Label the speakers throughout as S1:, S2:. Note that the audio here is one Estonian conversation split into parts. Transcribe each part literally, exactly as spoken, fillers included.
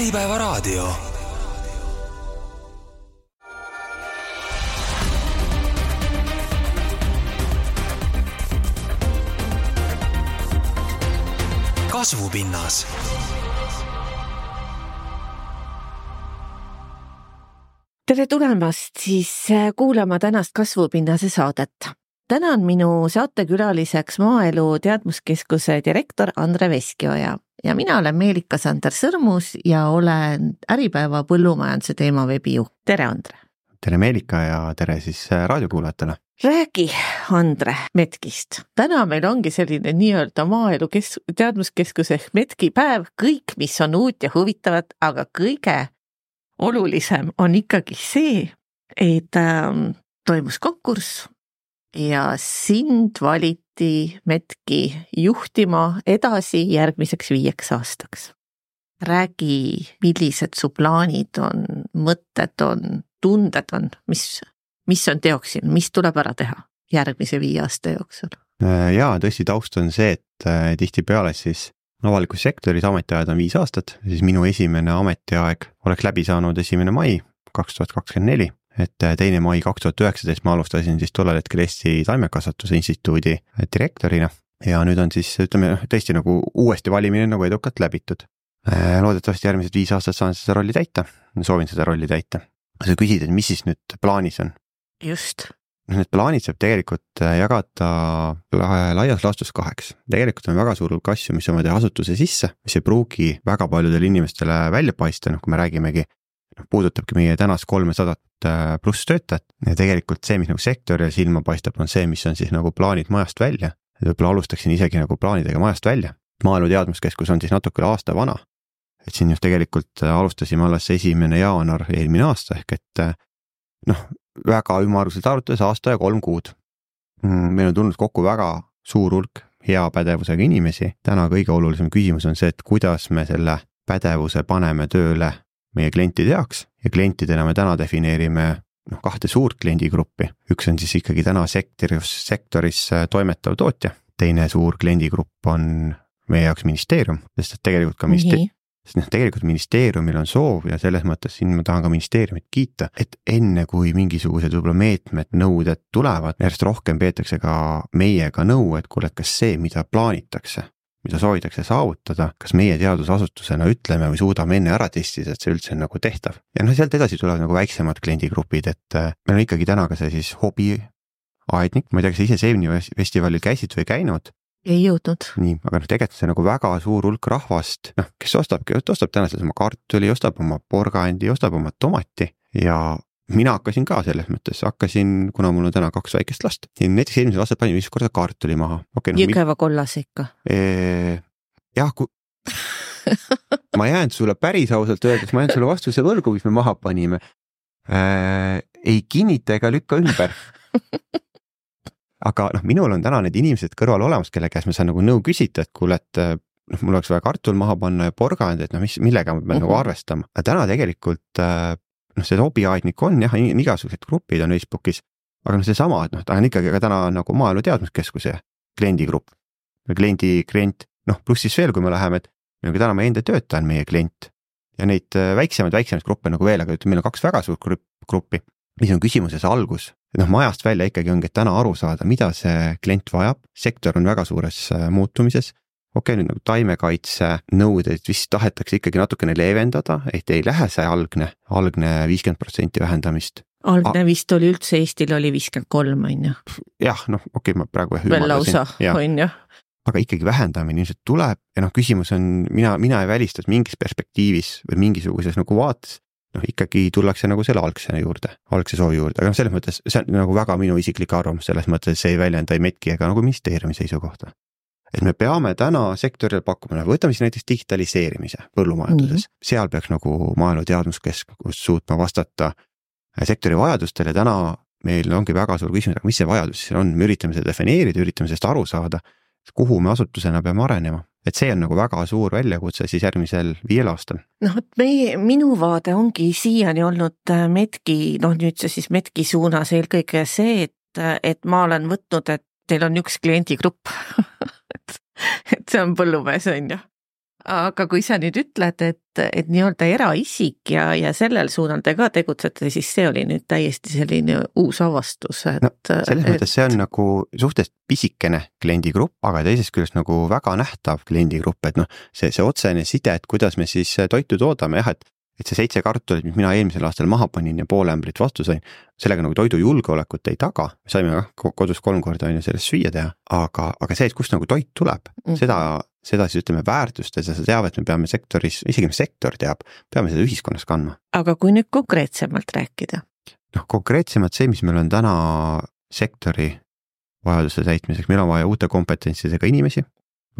S1: Äripäeva raadio. Kasvupinnas.
S2: Tere tulemast siis kuulama tänast Kasvupinnase saadet. Täna on minu saatekülaliseks Maaelu Teadmuskeskuse direktor Andre Veskioja ja mina olen Meelika-Sander Sõrmus ja olen Äripäeva põllumajanduse teema veebijuht. Tere, Andre!
S3: Tere, Meelika, ja tere siis raadiokuulajatele!
S2: Räägi, Andre, Metkist. Täna meil ongi selline nii-öelda Maaelu kes- Teadmuskeskuse ehk Metki päev, kõik, mis on uut ja huvitavat, aga kõige olulisem on ikkagi see, et ähm, toimus konkurss ja sind valiti Metki juhtima edasi järgmiseks viieks aastaks. Räägi, millised su plaanid on, mõtted on, tunded on, mis, mis on teoksin, mis tuleb ära teha järgmise viie aasta jooksul?
S3: Jaa, tõesti taust on see, et tihtipeale siis avalikus sektoris ametiajad on viis aastat, siis minu esimene ametiaeg oleks läbi saanud esimene mai kaks tuhat kakskümmend neli, et teine mai kaks tuhat üheksateist ma alustasin siis tollel hetkel Eesti Taimekasvatuse Instituudi direktorina ja nüüd on siis, ütleme, tõesti nagu uuesti valimine nagu edukalt läbitud. Loodetavasti järgmised viis aastat saan seda rolli täita, soovin seda rolli täita. Sa küsid, et mis siis nüüd plaanis on?
S2: Just.
S3: Need plaanid saab tegelikult jagada laias laastus kaheks. Tegelikult on väga suur hulk asju, mis on vaja asutuse sisse, mis ei pruugi väga paljudele inimestele välja paista, noh kui me räägimegi, puudutabki meie tänast kolmesadat pluss töötajat ja tegelikult see, mis nagu sektoril silma paistab, on see, mis on siis nagu plaanid majast välja. Võib-olla alustaksin isegi nagu plaanidega majast välja. Maaelu Teadmuskeskus on siis natuke aasta vana, et siin just tegelikult alustasime alles esimene jaanuar eelmine aasta, ehk et noh, väga ümaruselt arutades aasta ja kolm kuud. Meil on tulnud kokku väga suur hulk hea pädevusega inimesi. Täna kõige olulisem küsimus on see, et kuidas me selle pädevuse paneme tööle meie klientide jaoks ja klientidena me täna defineerime noh, kahte suurt kliendigruppi. Üks on siis ikkagi täna sektoris, sektoris toimetav tootja. Teine suur kliendigrupp on meie jaoks ministeerium, sest et tegelikult ka ministeerium Sest noh, tegelikult ministeeriumil on soov ja selles mõttes siin ma tahan ka ministeeriumit kiita, et enne kui mingisugused võib-olla meetmed, nõuded tulevad, järjest rohkem peetakse ka meiega nõu, et kuule, kas see, mida plaanitakse, mida soovitakse saavutada, kas meie teadusasutusena ütleme või suudame enne ära testida, et see üldse on nagu tehtav. Ja noh, sealt edasi tulevad nagu väiksemad kliendigrupid, et meil on ikkagi täna ka see siis hobiaednik, ma ei tea, kas ise Seemni festivalil käisid või käinud,
S2: ei jõudnud.
S3: Nii, aga noh, tegelikult see nagu väga suur hulk rahvast, noh, kes ostab, ostab täna selles oma kartuli, ostab oma porgandi, ostab oma tomati ja mina hakkasin ka selles mõttes, hakkasin, kuna mul on täna kaks väikest last, näiteks eelmisel aastal panin viis korda kartuli maha. Okay, no,
S2: Jõgeva kollas ikka.
S3: Ee, jah, kui ma jään sulle päris ausalt öeldes, ma jään sulle vastuse võrgu, mis me maha panime. Ee, ei kinnita ega lükka ümber. Aga noh, minul on täna need inimesed kõrval olemas, kelle käes me saan nagu nõu küsida, et kuule, et noh, mul oleks vaja kartul maha panna ja porgand, et noh, mis, millega me peame uh-huh. nagu arvestama. Aga täna tegelikult noh, see hobiaednik on jah, igasugused grupid on Facebookis, aga noh, see sama, et noh, ta on ikkagi ka täna nagu Maaelu Teadmuskeskuse kliendigrupp. Kliendi klient, noh, pluss siis veel, kui me läheme, et meil on täna meie enda töötaja on meie klient ja neid väiksemaid, väiksemaid gruppe nagu veel, aga meil on kaks väga suurt gruppi, mis on küsimuses algus. Noh, majast välja ikkagi ongi, et täna aru saada, mida see klient vajab. Sektor on väga suures muutumises. Okei, nüüd nagu taimekaitse nõudeid vist tahetakse ikkagi natukene leevendada, et ei lähe see algne, algne viiskümmend protsenti vähendamist.
S2: Algne vist oli üldse Eestil oli viiskümmend kolm, on ju?
S3: Jah, noh, okei, ma praegu
S2: veel lausa, on ju?
S3: Aga ikkagi vähendamine ilmselt tuleb ja noh, küsimus on, mina, mina ei välistas mingis perspektiivis või mingisuguses nagu vaates, noh, ikkagi tullakse nagu selle algse juurde, algse soovi juurde, aga noh, selles mõttes, see on nagu väga minu isiklik arvamus, selles mõttes see ei väljenda ei Metki ega nagu ministeeriumi seisukohta. Et me peame täna sektoril pakkuma, võtame siis näiteks digitaliseerimise põllumajanduses, mm-hmm. seal peaks nagu Maaelu Teadmuskeskus suutma vastata sektori vajadustele, täna meil ongi väga suur küsimus, aga mis see vajadus siis on, me üritame seda defineerida, üritame sellest aru saada, kuhu me asutusena peame arenema. Et see on nagu väga suur väljakutse siis järgmisel viiel aastal.
S2: Noh, et meie, minu vaade ongi siiani olnud Metki, noh nüüd see siis Metki suunas eelkõige see, et, et ma olen võtnud, et teil on üks kliendigrupp. et, et see on põllumees, on ju. aga kui sa nüüd ütled, et, et nii-öelda eraisik ja, ja sellel suunal te ka tegutsete, siis see oli nüüd täiesti selline uus avastus, et
S3: no, selles et... mõttes see on nagu suhteliselt pisikene kliendigrupp, aga teisest küljest nagu väga nähtav kliendigrupp, et noh, see, see otsene side, et kuidas me siis toitu toodame, jah, et et see seitse kartulit, mis mina eelmisel aastal maha panin ja poole ämbrit vastu sain, sellega nagu toidu julgeolekut ei taga, me saime kodus kolm korda on ju sellest süüa teha, aga, aga see, et kust nagu toit tuleb, mm-hmm. seda, seda siis ütleme väärtustes ja sa teavad, et me peame sektoris, isegi me sektor teab, peame seda ühiskonnas kandma.
S2: Aga kui nüüd konkreetsemalt rääkida?
S3: noh, konkreetsemalt see, mis meil on täna sektori vajaduse täitmiseks, meil on vaja uute kompetentsidega inimesi,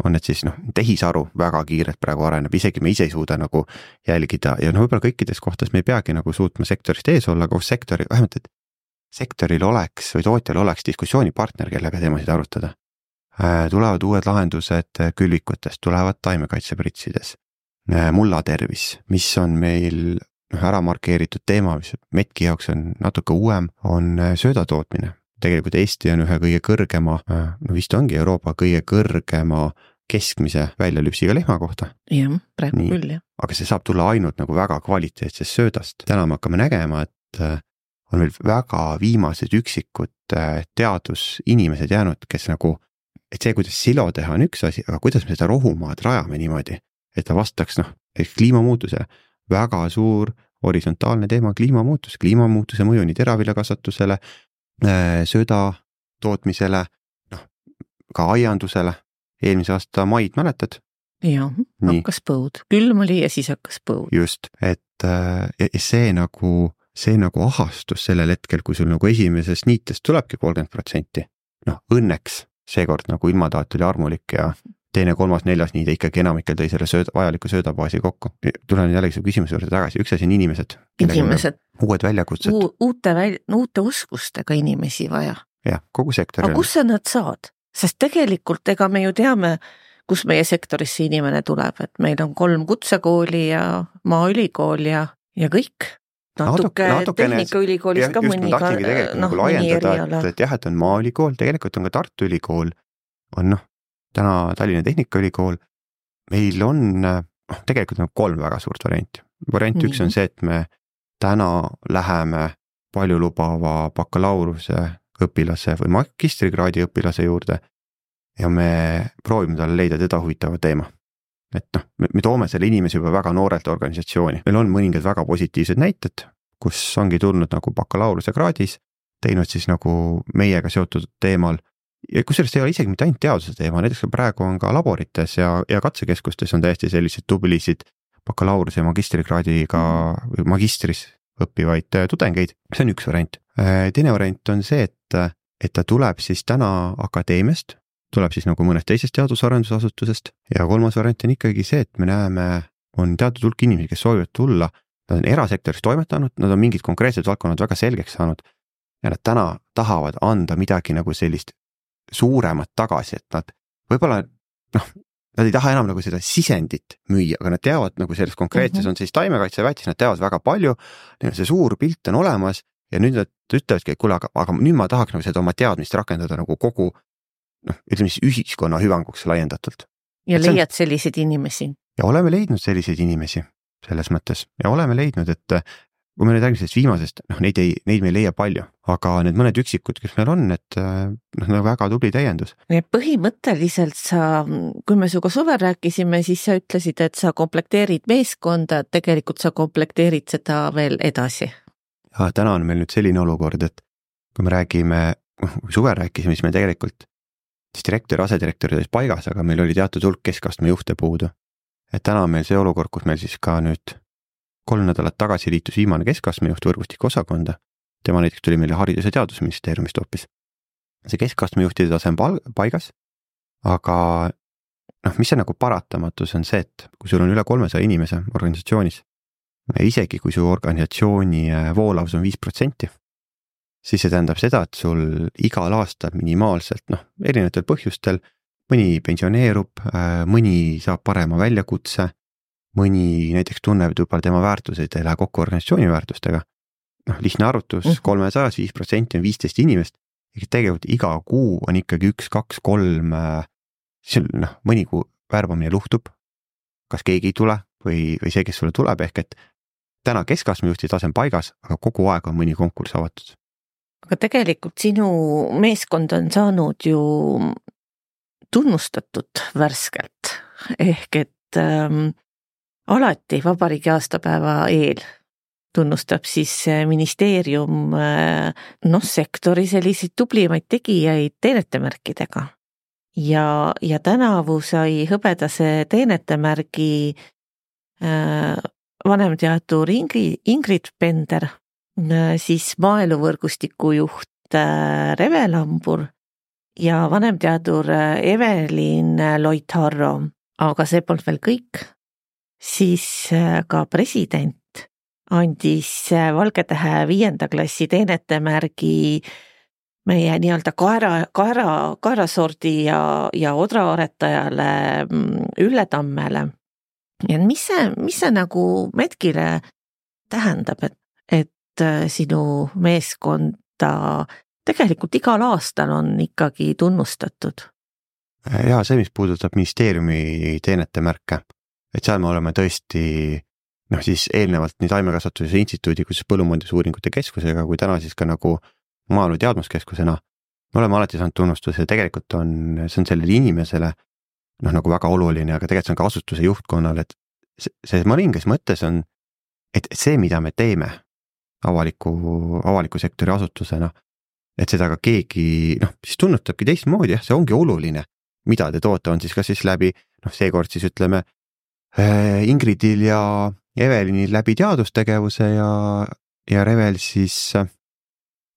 S3: on need siis noh, tehisaru väga kiirelt praegu areneb, isegi me ise ei suuda nagu jälgida ja no võib-olla kõikides kohtades me ei peagi nagu suutma sektorist ees olla, koos sektori, vähemalt et sektoril oleks või tootjal oleks diskussioonipartner, kellega teemasid arutada. Tulevad uued lahendused külvikutest, tulevad taimekaitsepritsides, mullatervis, mis on meil noh, ära markeeritud teema, mis Metki jaoks on natuke uuem, on söödatootmine. Tegelikult Eesti on ühe kõige kõrgema, no vist ongi Euroopa kõige kõrgema keskmise väljalüpsiga lehma kohta.
S2: Jah, praegu Nii. küll, jah.
S3: Aga see saab tulla ainult nagu väga kvaliteetsest söödast. Täna me hakkame nägema, et on meil väga viimased üksikud teadusinimesed jäänud, kes nagu, et see, kuidas silo teha on üks asi, aga kuidas me seda rohumaad rajame niimoodi, et ta vastaks noh, kliimamuutuse väga suur horisontaalne teema kliimamuutus, kliimamuutuse mõju nii teraviljakasvatusele, sööda tootmisele, noh, ka aiandusele, eelmise aasta maid mäletad?
S2: Jah, hakkas põud, külm oli ja siis hakkas põud.
S3: Just, et ja see nagu, see nagu ahastus sellel hetkel, kui sul nagu esimesest niitest tulebki kolmkümmend protsenti, noh, õnneks seekord nagu ilmataat oli armulik ja teine, kolmas, neljas niide ikkagi enamikel tõi selle sööda, vajaliku söödabaasi kokku. Tulen jällegi su küsimuse juurde tagasi, üks asi on inimesed.
S2: Inimesed.
S3: Uued väljakutsed.
S2: Uute, väl, uute oskustega inimesi vaja.
S3: Jah, kogu sektori.
S2: Aga kus sa nad saad? Sest tegelikult ega me ju teame, kus meie sektorisse inimene tuleb, et meil on kolm kutsekooli ja maaülikool ja, ja kõik. Natuke tehnikaülikoolis ka mõni,
S3: noh, mõni eriala. Et, et jah, et on maaülikool, tegelikult on ka Tartu ülikool, on noh, täna Tallinna Tehnikaülikool, meil on, noh, tegelikult on kolm väga suurt varianti. Variant mm-hmm. üks on see, et me täna läheme paljulubava bakalaureuse õpilase või magistrikraadi õpilase juurde ja me proovime talle leida teda huvitava teema. Et noh, me toome selle inimese juba väga noorelt organisatsiooni. Meil on mõningad väga positiivsed näited, kus ongi tulnud nagu bakalaureuse kraadis, teinud siis nagu meiega seotud teemal. Ja kusjuures ei ole isegi mitte ainult teaduse teema, näiteks praegu on ka laborites ja, ja katsekeskustes on täiesti sellised tublisid bakalaureuse ja magistrikraadiga või magistris õppivaid tudengeid. See on üks variant. Teine variant on see, et, et ta tuleb siis täna akadeemiast, tuleb siis nagu mõnest teisest teadusarendusasutusest ja kolmas variant on ikkagi see, et me näeme, on teatud hulk inimesi, kes soovivad tulla, nad on erasektoris toimetanud, nad on mingid konkreetsed valdkonnad väga selgeks saanud ja nad täna tahavad anda midagi nagu sellist suuremat tagasi, et nad võib-olla, noh, nad ei taha enam nagu seda sisendit müüa, aga nad teavad nagu selles konkreetses mm-hmm. on siis taimekaitseväetis, nad teavad väga palju, see suur pilt on olemas ja nüüd nad ütlevadki, et kuule, aga, aga nüüd ma tahaks nagu seda oma teadmist rakendada nagu kogu, noh, ütleme siis ühiskonna hüvanguks laiendatult.
S2: Ja et leiad on... selliseid inimesi?
S3: Ja oleme leidnud selliseid inimesi selles mõttes ja oleme leidnud, et kui me nüüd räägime viimasest, noh, neid, ei, neid me ei leia palju, aga need mõned üksikud, kes meil on, et noh, nagu väga tubli täiendus.
S2: Põhimõtteliselt sa, kui me suga suvel rääkisime, siis sa ütlesid, et sa komplekteerid meeskonda, tegelikult sa komplekteerid seda veel edasi.
S3: Ja täna on meil nüüd selline olukord, et kui me räägime, kui suvel rääkisime, siis me tegelikult siis direktor ja asedirektor olid paigas, aga meil oli teatud hulk keskastme juhte puudu. Et täna on meil see olukord, kus meil siis ka nüüd kolm nädalat tagasi liitus viimane keskastmejuht võrgustiku osakonda. Tema näiteks tuli meile Haridus- ja Teadusministeeriumist hoopis. See keskastmejuhtide tase on paigas, aga noh, mis see nagu paratamatus on see, et kui sul on üle kolmesaja inimese organisatsioonis, isegi kui su organisatsiooni voolavus on viis protsenti, siis see tähendab seda, et sul igal aastal minimaalselt, noh, erinevatel põhjustel, mõni pensioneerub, mõni saab parema väljakutse, mõni näiteks tunneb, et võib-olla tema väärtused ei lähe kokku organisatsiooni väärtustega. Noh, lihtne arvutus, kolmesajas viis protsenti on viisteist inimest, ja tegelikult iga kuu on ikkagi üks, kaks, kolm, noh, mõni kuu värbamine luhtub, kas keegi ei tule või, või see, kes sulle tuleb, ehk et täna keskastme juhti tase on paigas, aga kogu aeg on mõni konkurss avatud.
S2: Aga tegelikult sinu meeskond on saanud ju tunnustatud värskelt, ehk et ähm, alati vabariigi aastapäeva eel tunnustab siis ministeerium äh, noh, sektori selliseid tublimaid tegijaid teenetemärkidega. Ja, ja tänavu sai hõbedase teenetemärgi äh, vanemteadur Ingrid, Ingrid Pender, äh, siis maaeluvõrgustiku juht äh, Reve Lambur ja vanemteadur äh, Evelin Loitharro. Aga see polnud veel kõik. Siis äh, ka president andis äh, Valgetähe viienda klassi teenetemärgi meie nii-öelda kaera, kaera, kaerasordi ja, ja odraaretajale Ülle Tammele. Ja mis see, mis see nagu Metkile tähendab, et, et sinu meeskonda tegelikult igal aastal on ikkagi tunnustatud?
S3: Ja see, mis puudutab ministeeriumi teenetemärke, et seal me oleme tõesti noh siis eelnevalt nii Taimekasvatuse instituudi, kus põllumajandusuuringute keskusega, kui täna siis ka nagu maaelu teadmuskeskusena, me oleme alati saanud tunnustuse ja tegelikult on, see on sellele inimesele noh nagu väga oluline, aga tegelikult see on ka asutuse juhtkonnal, et see, see mõningas mõttes on, et see, mida me teeme avaliku, avaliku sektori asutusena, et seda ka keegi noh, siis tunnustabki teistmoodi, jah, see ongi oluline, mida te toote, on siis ka siis läbi, noh seekord siis ütleme Ingridil ja Evelinil läbi teadustegevuse ja, ja Revel siis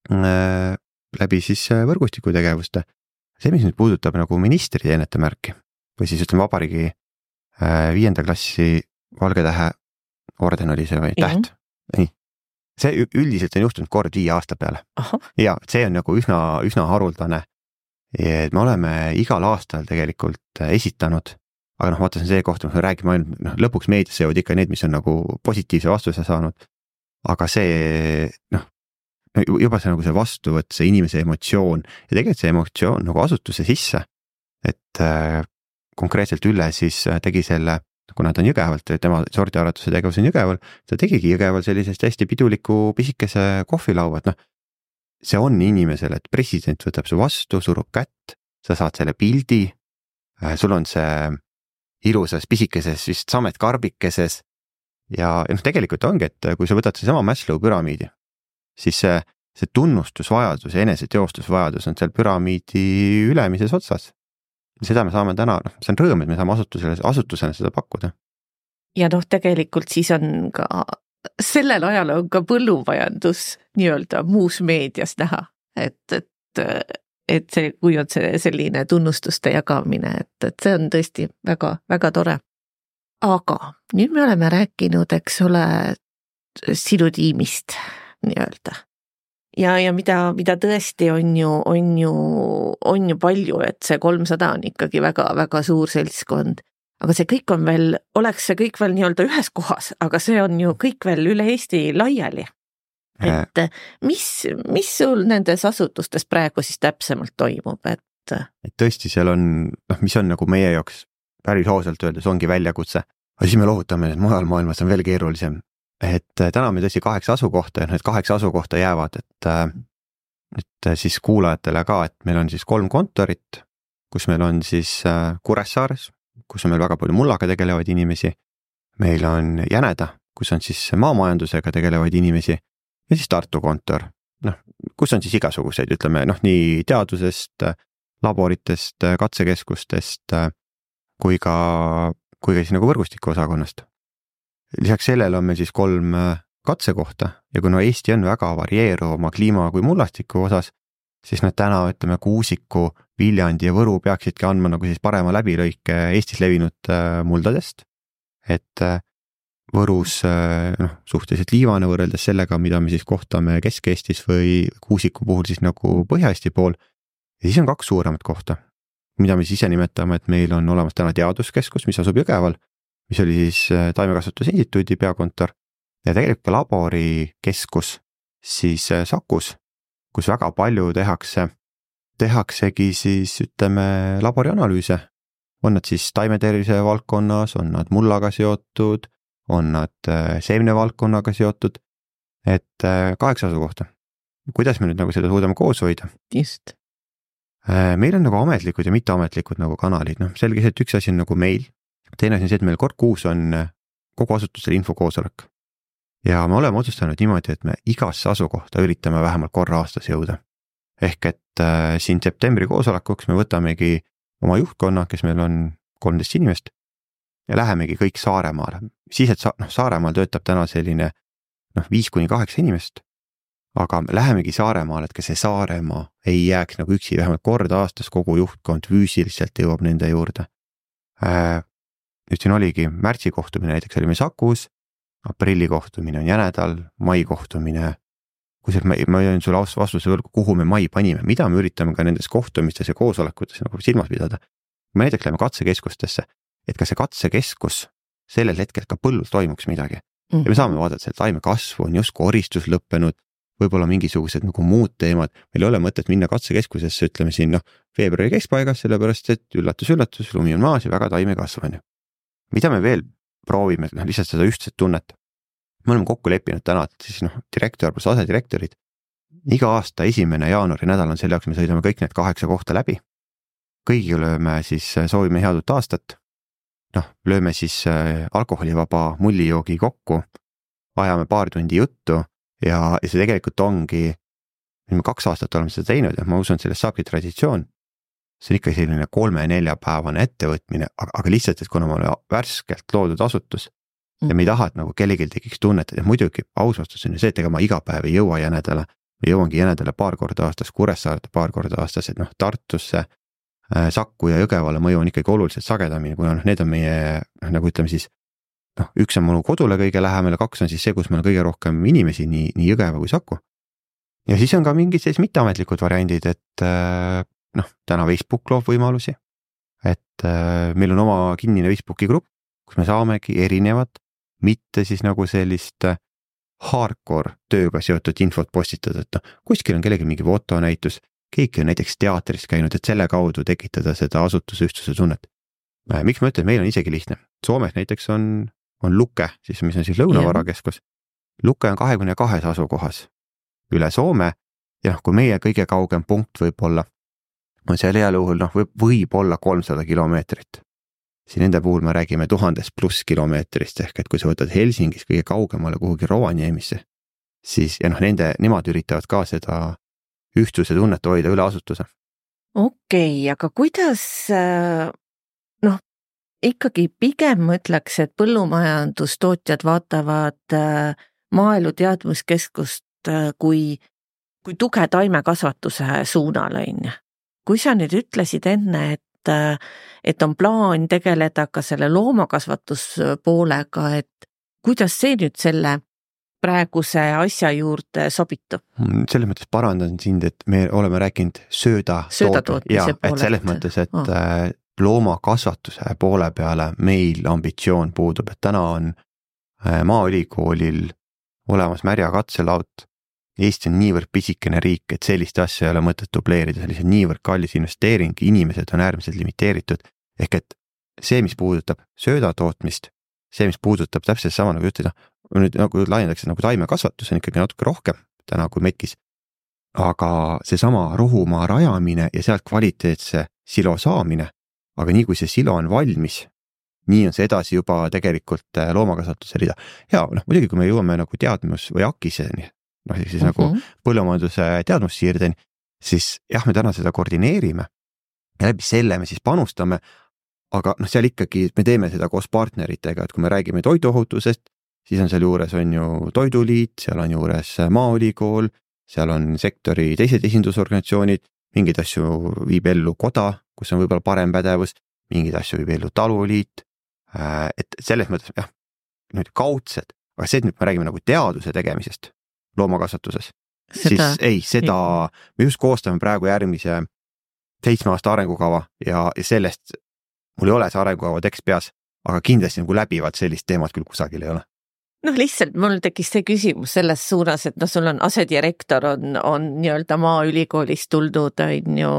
S3: läbi siis võrgustiku tegevuste. See, mis nüüd puudutab nagu ministri teenetemärki või siis ütleme vabariigi viienda klassi Valgetähe orden oli see või täht. Mm-hmm. Nii. See üldiselt on juhtunud kord viie aasta peale. Aha. Ja see on nagu üsna, üsna haruldane. Et me oleme igal aastal tegelikult esitanud, aga noh, vaata see koht, me räägime ainult, noh, lõpuks meedias jõud ikka need, mis on nagu positiivse vastuse saanud. Aga see, noh, juba see nagu see vastuvõtt, see inimese emotsioon ja tegelikult see emotsioon nagu asutuse sisse, et äh, konkreetselt Ülle siis tegi selle, kuna ta on Jõgevalt, tema sordiaretuse tegevus on Jõgeval, ta tegigi Jõgeval sellisest hästi piduliku pisikese kohvilaua, et noh, see on inimesele, et president võtab su vastu, surub kätt, sa saad selle pildi, äh, sul on see ilusas pisikeses vist samet karbikeses ja noh, tegelikult ongi, et kui sa võtad see sama Maslow püramiidi, siis see, see tunnustusvajadus ja eneseteostusvajadus on seal püramiidi ülemises otsas. Seda me saame täna, noh, see on rõõm, et me saame asutusele, asutusena seda pakkuda.
S2: Ja noh, tegelikult siis on ka, sellel ajal on ka põllumajandus nii-öelda muus meedias näha, et, et, et see, kui on see selline tunnustuste jagamine, et, et see on tõesti väga, väga tore. Aga nüüd me oleme rääkinud, eks ole, sinu tiimist nii-öelda. Ja, ja mida, mida tõesti on ju, on ju, on ju palju, et see kolmsada on ikkagi väga, väga suur seltskond. Aga see kõik on veel, oleks see kõik veel nii-öelda ühes kohas, aga see on ju kõik veel üle Eesti laiali. Et mis, mis sul nendes asutustes praegu siis täpsemalt toimub? Et,
S3: et tõesti, seal on, noh, mis on nagu meie jaoks päris hoosalt öeldes ongi väljakutse. Aga siis me lohutame, et mujal maailmas on veel keerulisem. Et täna me tõesti kaheksa asukohta ja need kaheksa asukohta jäävad, et, et siis kuulajatele ka, et meil on siis kolm kontorit, kus meil on siis Kuressaares, kus on meil väga palju mullaga tegelevaid inimesi. Meil on Jäneda, kus on siis maamajandusega tegelevaid inimesi ja siis Tartu kontor, noh, kus on siis igasuguseid, ütleme, noh, nii teadusest, laboritest, katsekeskustest kui ka, kui ka siis nagu võrgustiku osakonnast. Lisaks sellele on meil siis kolm katsekohta ja kuna Eesti on väga varieeruv oma kliima kui mullastiku osas, siis nad täna, ütleme, Kuusiku, Viljandi ja Võru peaksidki andma nagu siis parema läbilõike Eestis levinud muldadest. Et Võrus noh, suhteliselt liivane võrreldes sellega, mida me siis kohtame Kesk-Eestis või Kuusiku puhul siis nagu Põhja-Eesti pool. Ja siis on kaks suuremat kohta, mida me siis ise nimetame, et meil on olemas täna teaduskeskus, mis asub Jõgeval, mis oli siis Taimekasvatuse instituudi peakontor ja tegelikult ka laborikeskus siis Sakus, kus väga palju tehakse, tehaksegi siis ütleme laborianalüüse on nad siis taimetervise valdkonnas, on nad mullaga seotud, on nad seemne valdkonnaga seotud, et kaheksa asukohta. Kuidas me nüüd nagu seda suudame koos hoida?
S2: Just.
S3: Meil on nagu ametlikud ja mitteametlikud nagu kanalid, noh selge see, et üks asi on nagu meil, teine asi on see, et meil kord kuus on kogu asutusel infokoosolek. Ja me oleme otsustanud niimoodi, et me igasse asukohta üritame vähemalt korra aastas jõuda. Ehk et äh, siin septembri koosolekuks me võtamegi oma juhtkonna, kes meil on kolmteist inimest ja lähemegi kõik Saaremaale. Siis, et sa, no, Saaremaal töötab täna selline noh, viis kuni kaheksa inimest, aga me lähemegi Saaremaale, et ka see Saaremaa ei jääks nagu üksi, vähemalt kord aastas kogu juhtkond füüsiliselt jõuab nende juurde. Äh, nüüd siin oligi märtsi kohtumine, näiteks olime Sakus, aprilli kohtumine on Jänedal, mai kohtumine, kusjuures ma, ma jõin sulle vastuse võlgu, kuhu me mai panime, mida me üritame ka nendes kohtumistes ja koosolekutes nagu silmas pidada. Me näiteks läheme katsekeskustesse, et ka see katsekeskus sellel hetkel ka põllul toimuks midagi. Mm. Ja me saame vaadata, seal taime kasvu on just koristus lõppenud, võib-olla mingisugused nagu muud teemad. Meil ei ole mõtet minna katsekeskusesse, ütleme siin noh, veebruari keskpaigas, sellepärast et üllatus, üllatus, lumi on maas ja väga taime kasvanud. Mida me veel proovime, noh, lihtsalt seda ühtset tunnet. Me oleme kokku leppinud täna, et siis noh, direktor plus asedirektorid. Iga aasta esimene jaanuari nädal on selle jaoks, me sõidame kõik need kaheksa kohta läbi. Kõigi lööme siis, soovime head uut aastat. Noh, lööme siis alkoholivaba mullijoogi kokku, ajame paar tundi juttu ja, ja see tegelikult ongi, me kaks aastat oleme seda teinud ja ma usun, et sellest saabki traditsioon. See on ikka selline kolme-nelja päevane ettevõtmine, aga, aga lihtsalt, et kuna ma olen värskelt loodud asutus ja me ei taha, et nagu kellelgi tekiks tunnet, et muidugi aus vastus on ju see, et ega ma iga päev ei jõua Jänedale, me jõuangi Jänedale paar korda aastas, Kuressaarde paar korda aastas, et noh, Tartusse, Sakku ja Jõgevale mõju on ikkagi oluliselt sagedamini, kuna noh, need on meie, nagu ütleme siis, noh, üks on minu kodule kõige lähemale, kaks on siis see, kus meil on kõige rohkem inimesi, nii, nii Jõgeva kui Saku. Ja siis on ka mingid sellised mitteametlikud variandid, et noh, täna Facebook loob võimalusi, et äh, meil on oma kinnine Facebooki grupp, kus me saamegi erinevat, mitte siis nagu sellist hardcore tööga seotud infot postitada, et noh, kuskil on kellegi mingi fotonäitus, keegi on näiteks teatris käinud, et selle kaudu tekitada seda asutuse ühtsuse tunnet. Äh, miks ma ütlen, et meil on isegi lihtne. Soomes näiteks on, on Luke, siis, mis on siis Lõunavarakeskus. Luke on kahekümne kahes asukohas üle Soome ja noh, kui meie kõige kaugem punkt võib olla on seal heal juhul, noh, võib, võib olla kolmsada kilomeetrit. Siin nende puhul me räägime tuhandest pluss kilomeetrist, ehk et kui sa võtad Helsingis kõige kaugemale kuhugi Rovaniemisse, siis, ja noh, nende, nemad üritavad ka seda ühtsuse tunnet hoida üle asutuse.
S2: Okei, okay, aga kuidas, noh, ikkagi pigem mõtleks, et põllumajandustootjad vaatavad maaelu teadmuskeskust kui, kui tuge taimekasvatuse suunal, on. Kui sa nüüd ütlesid enne, et, et on plaan tegeleda ka selle loomakasvatuspoolega, et kuidas see nüüd selle praeguse asja juurde sobitub?
S3: Selles mõttes parandan sind, et me oleme rääkinud sööda,
S2: sööda tootmise
S3: poole. Et selles mõttes, et oh. loomakasvatuse poole peale meil ambitsioon puudub, et täna on Maaülikoolil olemas märja katselaut. Eesti on niivõrd pisikene riik, et sellist asja ei ole mõtet dubleerida, sellise niivõrd kallis investeering, inimesed on äärmiselt limiteeritud, ehk et see, mis puudutab sööda tootmist, see, mis puudutab täpselt sama nagu ütleda, nüüd nagu laiendatakse nagu taimekasvatus on ikkagi natuke rohkem täna kui metkis, aga see sama rohumaa rajamine ja sealt kvaliteetse silo saamine, aga nii kui see silo on valmis, nii on see edasi juba tegelikult loomakasvatuse rida. Ja noh, muidugi kui me jõuame nagu teadmus või akiseni, noh, siis uh-huh. nagu põllumajanduse teadmussiirdeni, siis jah, me täna seda koordineerime ja läbi selle me siis panustame, aga noh, seal ikkagi me teeme seda koos partneritega, et kui me räägime toiduohutusest, siis on seal juures on ju Toiduliit, seal on juures Maaülikool, seal on sektori teised esindusorganisatsioonid, mingeid asju viib ellu koda, kus on võib-olla parem pädevus, mingeid asju viib ellu Taluliit, et selles mõttes jah, nüüd kaudsed, aga see, et nüüd me räägime nagu teaduse tegemisest, loomakasvatuses, siis ei, seda me just koostame praegu järgmise seitsme aasta arengukava ja, ja sellest mul ei ole see arengukava tekst peas, aga kindlasti nagu läbivad sellist teemat küll kusagil ei ole.
S2: Noh, lihtsalt mul tekkis see küsimus selles suunas, et noh, sul on asedirektor on, on nii-öelda Maaülikoolist tuldud, on ju,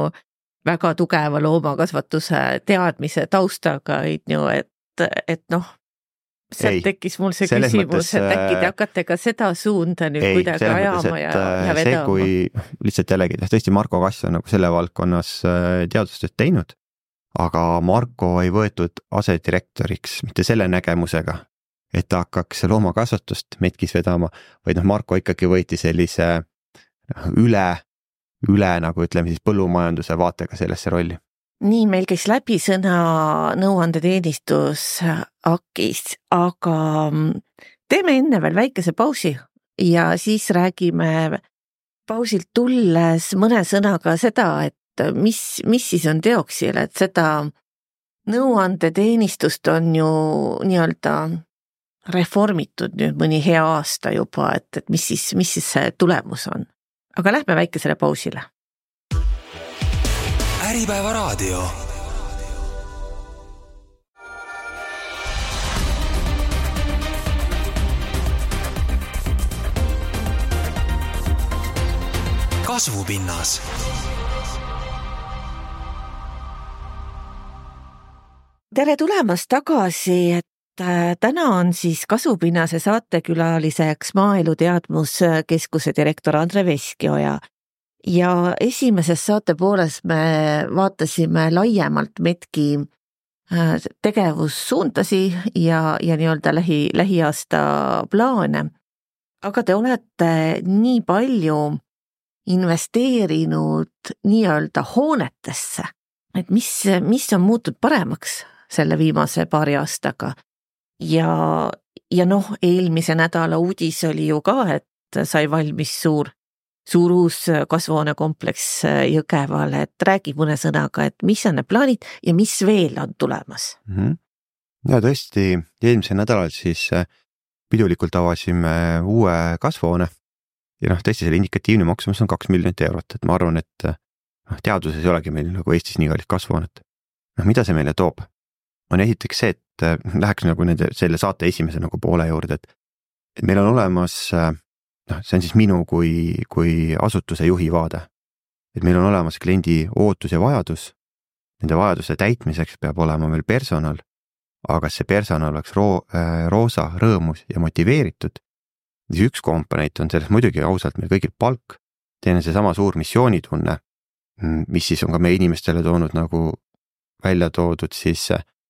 S2: väga tugeva loomakasvatuse teadmise taustaga, et, et noh, sealt tekkis mul see küsimus, mõttes, et äkki te hakkate ka seda suunda nüüd ei, kuidagi ajama mõttes, ja, ja vedama.
S3: See, kui lihtsalt jällegi, tõesti Marko Kass on nagu selle valdkonnas teadustööd teinud, aga Marko ei võetud asedirektoriks mitte selle nägemusega, et ta hakkaks loomakasvatust metkis vedama, vaid noh, Marko ikkagi võeti sellise üle, üle nagu ütleme siis põllumajanduse vaatega sellesse rolli.
S2: Nii, meil käis läbi sõna nõuandeteenistus A K I-s, aga teeme enne veel väikese pausi ja siis räägime pausilt tulles mõne sõnaga seda, et mis, mis siis on teoksil, et seda nõuandeteenistust on ju nii-öelda reformitud nüüd mõni hea aasta juba, et, et mis siis, mis siis see tulemus on. Aga lähme väikesele pausile.
S1: Äripäeva raadio. Kasvupinnas.
S2: Tere tulemast tagasi, et täna on siis Kasvupinnase saatekülaliseks Maaelu Teadmuskeskuse direktor Andre Veskioja. Ja esimeses saate pooles me vaatasime laiemalt Metki tegevussuuntasi ja, ja nii-öelda lähi, lähiaasta plaane. Aga te olete nii palju investeerinud nii-öelda hoonetesse, et mis, mis on muutud paremaks selle viimase paari aastaga. Ja, ja noh, eelmise nädala uudis oli ju ka, et sai valmis suur suur uus kasvuhoonekompleks Jõgevale, et räägi mõne sõnaga, et mis on need plaanid ja mis veel on tulemas?
S3: Mm-hmm. Ja tõesti, eelmisel nädalal siis pidulikult avasime uue kasvuhoone ja noh, tõesti selle indikatiivne maksumus on kaks miljonit eurot, et ma arvan, et noh, teaduses ei olegi meil nagu Eestis nii kallid kasvuhoonet. Noh, mida see meile toob? On esiteks see, et läheks nagu nende, selle saate esimese nagu poole juurde, et, et meil on olemas noh, see on siis minu kui, kui asutuse juhi vaade. Et meil on olemas kliendi ootus ja vajadus, nende vajaduse täitmiseks peab olema meil personal, aga see personal oleks roo, äh, roosa, rõõmus ja motiveeritud. Siis üks komponent on selles muidugi ausalt meil kõigil palk, teine see sama suur missioonitunne, mis siis on ka meie inimestele toonud nagu välja toodud siis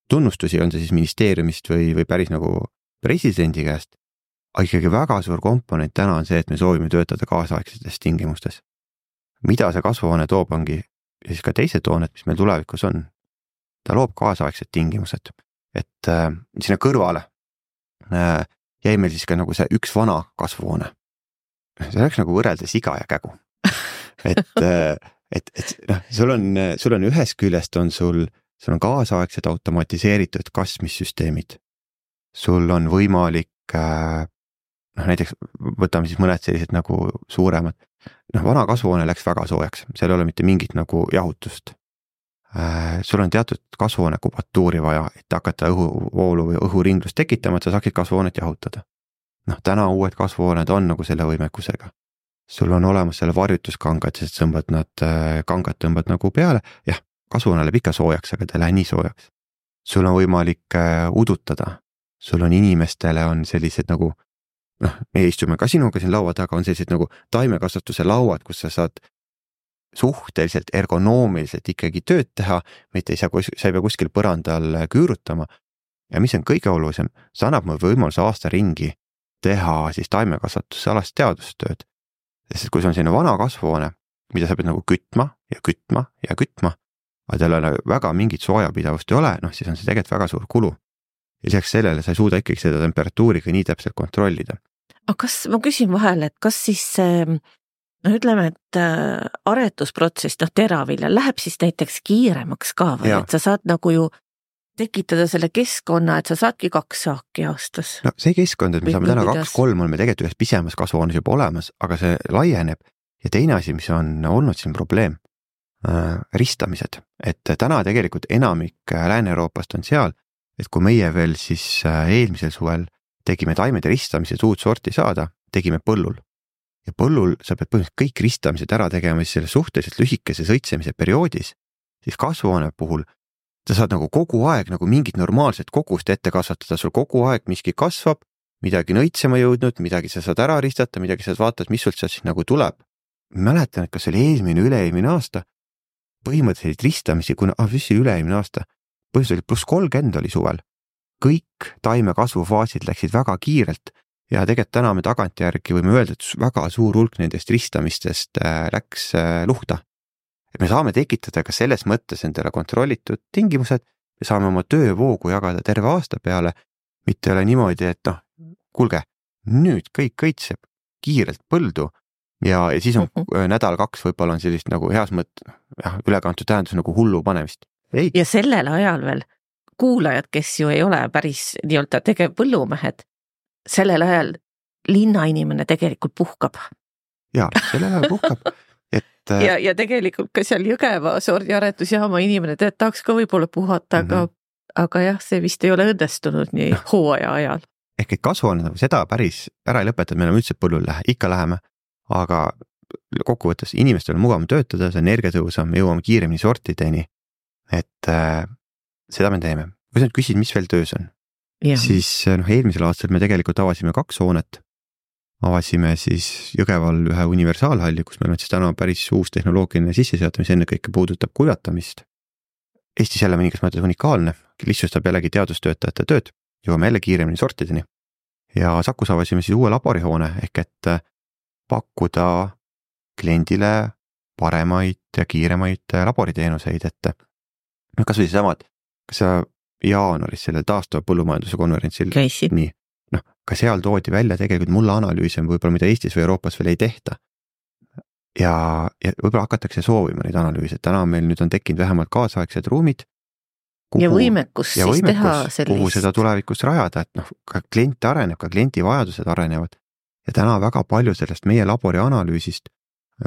S3: tunnustusi, on see siis ministeeriumist või, või päris nagu presidendi käest. Aga ikkagi väga suur komponent täna on see, et me soovime töötada kaasaegsetes tingimustes. Mida see kasvuhoone toob ongi, ja siis ka teised hooned, mis meil tulevikus on, ta loob kaasaegsed tingimused. Et äh, sinna kõrvale äh, jäi meil siis ka nagu see üks vana kasvuhoone. See oleks nagu võrreldes iga ja kägu. Et, äh, et, et noh, sul on, sul on ühes küljest on sul, sul on kaasaegsed automatiseeritud kasmissüsteemid. Sul on võimalik äh, noh, näiteks võtame siis mõned sellised nagu suuremad. Noh, vana kasvuhoone läks väga soojaks, seal ei ole mitte mingit nagu jahutust. Äh, sul on teatud kasvuhoone kubatuuri vaja, et hakata õhuvoolu või õhuringlust tekitama, et sa saaksid kasvuhoonet jahutada. Noh, täna uued kasvuhooned on nagu selle võimekusega. Sul on olemas selle varjutuskangad, sest tõmbad nad, kangad tõmbad nagu peale. Jah, kasvuhoone läheb ikka soojaks, aga ta ei lähe nii soojaks. Sul on võimalik udutada. Sul on inimestele on sellised nagu noh, me istume ka sinuga siin laua taga, on sellised nagu taimekasvatuse lauad, kus sa saad suhteliselt ergonoomiliselt ikkagi tööd teha, mitte ei saa, sa ei pea kuskil põrandal küürutama. Ja mis on kõige olulisem, see annab mul võimaluse aasta ringi teha siis taimekasvatuse alast teadustööd. Sest kui see on selline vana kasvuhoone, mida sa pead nagu kütma ja kütma ja kütma, aga tal on väga mingit soojapidavust ei ole, noh siis on see tegelikult väga suur kulu. Ja lisaks sellele sa ei suuda ikkagi seda temperatuuriga nii täpselt kontrollida.
S2: Aga kas, ma küsin vahel, et kas siis no ütleme, et aretusprotsess, noh teravilja, läheb siis näiteks kiiremaks ka või, ja. Et sa saad nagu ju tekitada selle keskkonna, et sa saadki kaks saaki aastas. No
S3: see keskkond, et me saame täna kaks, kolm on me tegelikult ühes pisemas kasvuhoones juba olemas, aga see laieneb. Ja teine asi, mis on olnud siin probleem, äh, ristamised, et täna tegelikult enamik Lääne-Euroopast on seal, et kui meie veel siis eelmisel suvel tegime taimede ristamised uut sorti saada, tegime põllul. Ja põllul sa pead põhimõtteliselt kõik ristamised ära tegema siis selle suhteliselt lühikese sõitsemise perioodis, siis kasvuhoone puhul sa saad nagu kogu aeg nagu mingit normaalset kogust ette kasvatada, sul kogu aeg miski kasvab, midagi on õitsema jõudnud, midagi sa saad ära ristata, midagi sa vaatad, mis sul sealt siis nagu tuleb. Mäletan, et kas oli eelmine, üle-eelmine aasta, põhimõtteliselt ristamisi, kuna ah, mis oli üle-eelmine aasta, põhimõtteliselt oli pluss kolmkümmend oli suvel. Kõik taime kasvufaasid läksid väga kiirelt ja tegelikult täna me tagantjärgi võime öelda, et väga suur hulk nendest ristamistest läks luhta. Et me saame tekitada ka selles mõttes endale kontrollitud tingimused, me saame oma töövoogu jagada terve aasta peale, mitte ole niimoodi, et noh, kuulge, nüüd kõik kõitseb kiirelt põldu ja, ja siis on mm-hmm. nädal kaks võib-olla on sellist nagu heas mõttes jah, ülekantud tähendus nagu hullu panemist. Ei.
S2: Ja sellel ajal veel kuulajad, kes ju ei ole päris nii-öelda tegev põllumehed, sellel ajal linnainimene tegelikult puhkab.
S3: Jaa, sellel ajal puhkab. Et,
S2: ja, ja tegelikult ka seal Jõgeva sordiaretusjaama inimene tead, tahaks ka võib-olla puhata, aga, mm-hmm. aga jah, see vist ei ole õnnestunud nii hooaja ajal.
S3: Ehk et kasvu on seda päris ära ei lõpeta, et me oleme üldse põllul lähe, ikka läheme, aga kokkuvõttes inimestel on mugavam töötada, see energiatõusam, me jõuame kiiremini sortideni, et äh, seda me teeme. Kui sa nüüd küsid, mis veel töös on, ja. siis noh, eelmisel aastal me tegelikult avasime kaks hoonet. Avasime siis Jõgeval ühe universaalhalli, kus meil on siis täna päris uus tehnoloogiline sisseseadus, mis enne kõike puudutab kuivatamist. Eestis jälle mõningas mõttes unikaalne, lihtsustab jällegi teadustöötajate tööd, jõuame jälle kiiremini sortideni. Ja Sakus avasime siis uue laborihoone ehk et pakkuda kliendile paremaid ja kiiremaid laboriteenuseid, et no kas või samad, kas sa jaanuaris sellel taastava põllumajanduse konverentsil
S2: käisid?
S3: Nii, noh, ka seal toodi välja tegelikult mulle analüüse, võib-olla mida Eestis või Euroopas veel ei tehta. Ja, ja võib-olla hakatakse soovima neid analüüse, täna meil nüüd on tekkinud vähemalt kaasaegsed ruumid.
S2: Kuhu, ja võimekus ja siis võimekus, teha sellist.
S3: Kuhu seda tulevikus rajada, et noh, ka klient areneb, ka klienti vajadused arenevad. Ja täna väga palju sellest meie labori analüüsist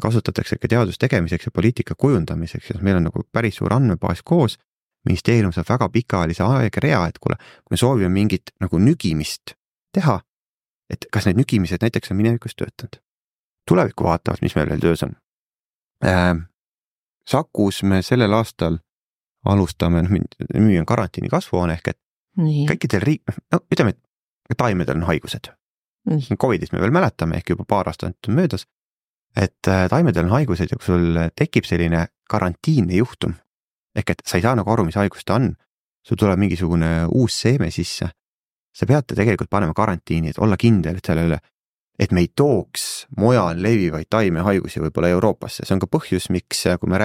S3: kasutatakse ka teadus tegemiseks ja poliitika kujundamiseks, ja meil on nagu päris suur andmebaas koos, ministeerium saab väga pikaajalise aegrea, et kuule, kui me soovime mingit nagu nügimist teha, et kas need nügimised näiteks on minevikus töötanud. Tulevikku vaatavad, mis meil veel töös on. Äh, Sakus me sellel aastal alustame, nüüd on karantiini kasvuhoone ehk, et Nii. kõikidel riik, no ütleme, et taimedel on haigused. Nii. Covidist me veel mäletame, ehk juba paar aastat on möödas, et taimedel on haigused ja kui sul tekib selline karantiinne juhtum, ehk et sa ei saa nagu aru, mis haigus ta on, sul tuleb mingisugune uus seeme sisse, sa peate tegelikult panema karantiini, et olla kindel, et selle üle, et me ei tooks mujal levivaid taimehaigusi võib-olla Euroopasse. See on ka põhjus, miks kui me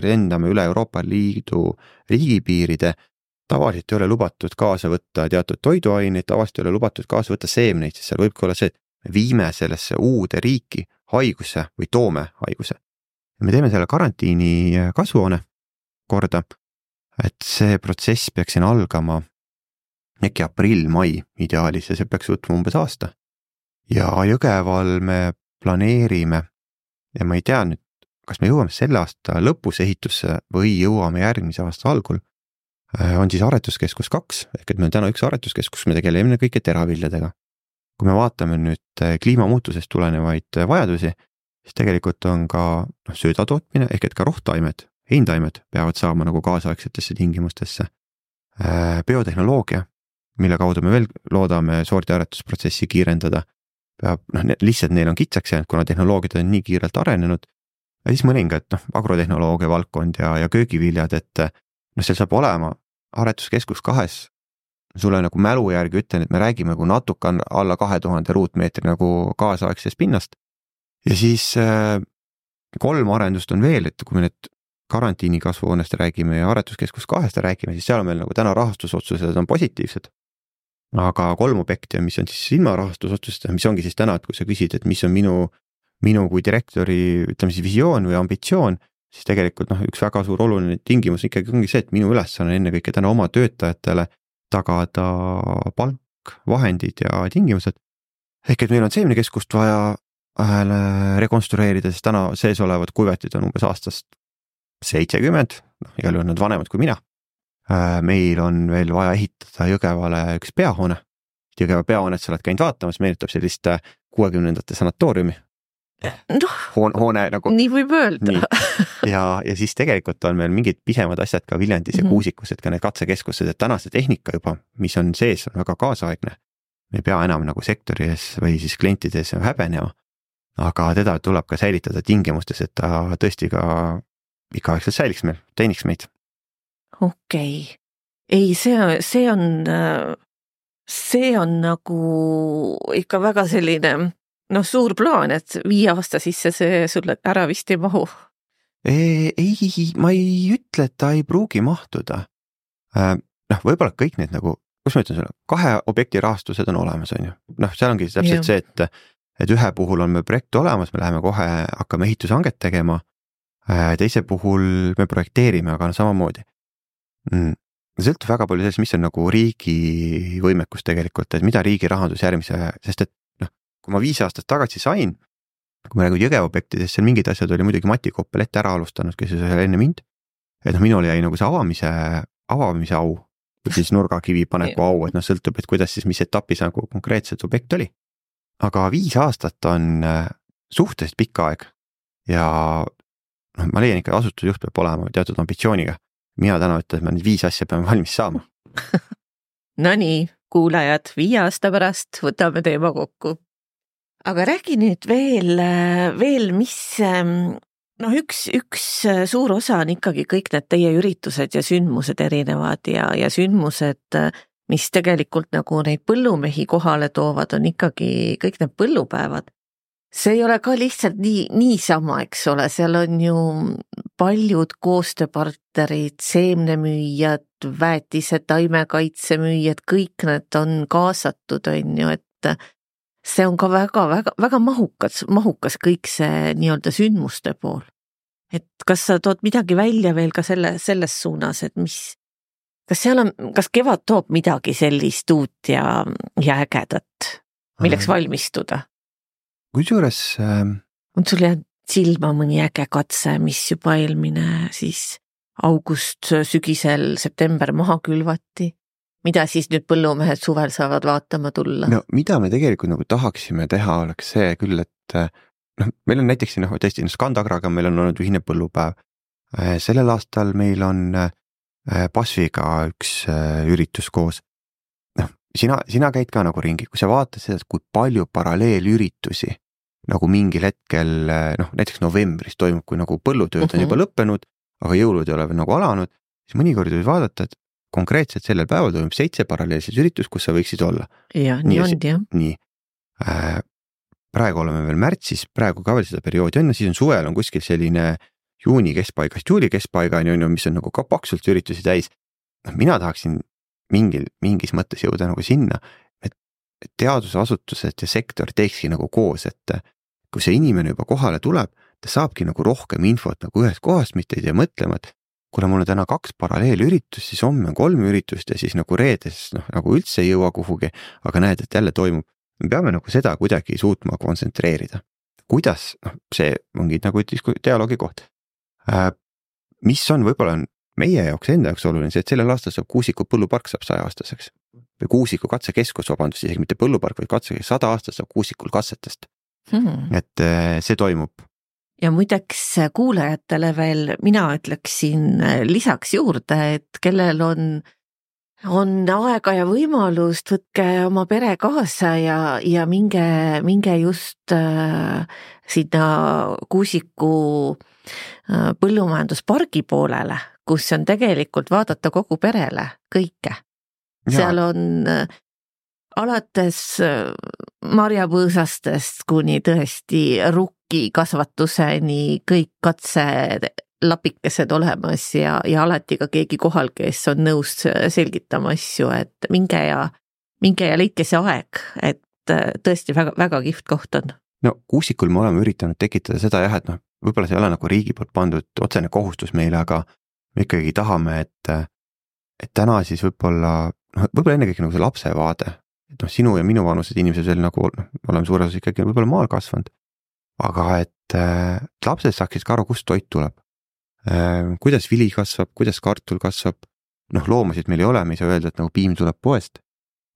S3: rendame üle Euroopa Liidu riigipiiride, tavaliselt ei ole lubatud kaasa võtta teatud toiduaineid, tavaliselt ei ole lubatud kaasa võtta seemneid, sest seal võibki olla see, et me viime sellesse uude riiki haiguse või toome haiguse. Me teeme selle karantiini kasvuhoone korda, et see protsess peaks siin algama äkki aprill-mai ideaalis ja see peaks võtma umbes aasta. Ja Jõgeval me planeerime ja ma ei tea nüüd, kas me jõuame selle aasta lõpus ehitusse või jõuame järgmise aasta algul, on siis aretuskeskus kaks, ehk et meil on täna üks aretuskeskus, me tegeleme kõike teraviljadega. Kui me vaatame nüüd kliimamuutusest tulenevaid vajadusi, siis tegelikult on ka no, söödatootmine, ehk et ka rohtaimed, heintaimed peavad saama nagu kaasaegsetesse tingimustesse. Biotehnoloogia, mille kaudu me veel loodame sordiaretusprotsessi kiirendada, peab, noh, lihtsalt neil on kitsaks jäänud, kuna tehnoloogiad on nii kiirelt arenenud, ja siis mõningad, noh, agrotehnoloogia valdkond ja, ja köögiviljad, et noh, seal saab olema aretuskeskus kahes, sulle nagu mälu järgi ütlen, et me räägime nagu natuke alla kahe tuhande ruutmeetri nagu kaasaegsest pinnast, ja siis äh, kolm arendust on veel, et kui me need karantiini kasvuhoonest räägime ja aretuskeskus kahest räägime, siis seal on meil nagu täna rahastusotsused on positiivsed. Aga kolm objekti, mis on siis ilma rahastusotsused, mis ongi siis täna, et kui sa küsid, et mis on minu, minu kui direktori, ütleme siis visioon või ambitsioon, siis tegelikult noh, üks väga suur oluline tingimus ikkagi ongi see, et minu ülesanne enne kõike täna oma töötajatele tagada palk, vahendid ja tingimused. Ehk et meil on seemnekeskust vaja rekonstrueerida, sest täna sees olevad kuivetid on umbes aastast seitsekümmend, noh, igal juhul nad vanemad kui mina. Meil on veel vaja ehitada Jõgevale üks peahoone. Jõgeva peahoonet sa oled käinud vaatamas, meenutab sellist kuuekümnendate sanatooriumi.
S2: noh,
S3: hoone, hoone nagu.
S2: nii võib öelda.
S3: ja, ja siis tegelikult on meil mingid pisemad asjad ka Viljandis ja Kuusikus, et ka need katsekeskused, et tänase tehnika juba, mis on sees, on väga kaasaegne. Me ei pea enam nagu sektori ees või siis klientides häbenema, aga teda tuleb ka säilitada tingimustes, et ta tõesti ka ikaaegselt säiliks meil, teeniks meid.
S2: Okei. Okay. Ei, see, see on, see on nagu ikka väga selline, noh, suur plaan, et viie aasta sisse see sulle ära vist ei mahu.
S3: Ei, ei, ma ei ütle, et ta ei pruugi mahtuda. Noh, võib-olla kõik need nagu, kus ma ütlen sulle, kahe objekti rahastused on olemas, on ju. Noh, seal ongi täpselt ja. see, et et ühe puhul on meil projekt olemas, me läheme kohe, hakkame ehitushanget tegema, teise puhul me projekteerime, aga no samamoodi. Mm. Sõltub väga palju sellest, mis on nagu riigi võimekus tegelikult, et mida riigi rahandus järgmise, sest et noh, kui ma viis aastat tagasi sain, kui me räägime Jõgeva objektidest, seal mingid asjad oli muidugi Mati Koppel ette ära alustanud, kes oli enne mind, et noh, minul jäi nagu see avamise, avamise au, või siis nurgakivi paneku au, et noh, sõltub, et kuidas siis, mis etapis nagu konkreetselt objekt oli. Aga viis aastat on suhteliselt pikk aeg ja noh, ma leian ikka asutusjuht peab olema teatud ambitsiooniga. Mina täna ütlen, et me nüüd viis asja peame valmis saama.
S2: No nii, kuulajad, viie aasta pärast võtame teema kokku. Aga räägi nüüd veel, veel mis, noh üks, üks suur osa on ikkagi kõik need teie üritused ja sündmused erinevad ja, ja sündmused, mis tegelikult nagu neid põllumehi kohale toovad, on ikkagi kõik need põllupäevad. See ei ole ka lihtsalt nii, niisama, eks ole, seal on ju paljud koostööpartnerid, seemnemüüjad, väetised, taimekaitsemüüjad, kõik need on kaasatud, on ju, et see on ka väga, väga, väga mahukas, mahukas kõik see nii-öelda sündmuste pool. Et kas sa tood midagi välja veel ka selle, selles suunas, et mis kas seal on, kas kevad toob midagi sellist uut ja, ja ägedat, milleks valmistuda?
S3: Kusjuures äh...
S2: on sul jäänud silma mõni äge katse, mis juba eelmine siis august, sügisel, september maha külvati? Mida siis nüüd põllumehed suvel saavad vaatama tulla?
S3: No mida me tegelikult nagu tahaksime teha, oleks see küll, et noh, meil on näiteks noh, tõesti Skandagraga meil on olnud ühine põllupäev. Sellel aastal meil on Pasviga üks üritus koos. Noh, sina, sina käid ka nagu ringi, kui sa vaatad seda, kui palju paralleelüritusi nagu mingil hetkel, noh, näiteks novembris toimub, kui nagu põllutööd on juba lõppenud, aga jõulud ei ole veel nagu alanud, siis mõnikord võib vaadata, et konkreetselt sellel päeval toimub seitse paralleelset üritus, kus sa võiksid olla.
S2: Ja, nii, nii on, jah.
S3: Nii. Äh, praegu oleme veel märtsis, praegu ka veel seda perioodi on, siis on suvel on kuskil selline juuni keskpaigast juuli keskpaigani on ju, mis on nagu ka paksult üritusi täis. Mina tahaksin mingil, mingis mõttes jõuda nagu sinna, et teadusasutused ja sektor teekski nagu koos, et kui see inimene juba kohale tuleb, ta saabki nagu rohkem infot nagu ühest kohast, mitte ei tea mõtlema, et kuna mul on täna kaks paralleelüritust, siis homme on kolm üritust ja siis nagu reedes noh, nagu üldse ei jõua kuhugi, aga näed, et jälle toimub. Me peame nagu seda kuidagi suutma kontsentreerida. Kuidas, noh, see ongi nagu dialoogi koht. Mis on võib-olla on meie jaoks enda jaoks oluline, see, et sellel aastal saab Kuusiku põllupark saab saja aastaseks. Või Kuusiku katsekeskus, vabandust, isegi mitte põllupark, vaid katsekeskus, sada aastat saab Kuusikul katsetest. Hmm. Et see toimub.
S2: Ja muideks kuulajatele veel mina ütleksin lisaks juurde, et kellel on, on aega ja võimalust, võtke oma pere kaasa ja, ja minge, minge just äh, sinna Kuusiku äh, põllumajanduspargi poolele, kus on tegelikult vaadata kogu perele kõike. Ja. Seal on äh, alates marjapõõsastest kuni tõesti rukki kasvatuseni kõik katse lapikesed olemas ja, ja alati ka keegi kohal, kes on nõus selgitama asju, et minge ja, minge ja leidke see aeg, et tõesti väga, väga kihvt koht on.
S3: No Kuusikul me oleme üritanud tekitada seda jah, et noh, võib-olla see ei ole nagu riigi poolt pandud otsene kohustus meile, aga me ikkagi tahame, et, et täna siis võib-olla, noh, võib-olla ennekõike nagu see lapse vaade, et noh, sinu ja minu vanused inimesed veel nagu, noh, oleme suures osas ikkagi võib-olla maal kasvanud, aga et äh, lapsed saaksid ka aru, kust toit tuleb. Äh, kuidas vili kasvab, kuidas kartul kasvab, noh, loomasid meil ei ole, me ei saa öelda, et nagu piim tuleb poest.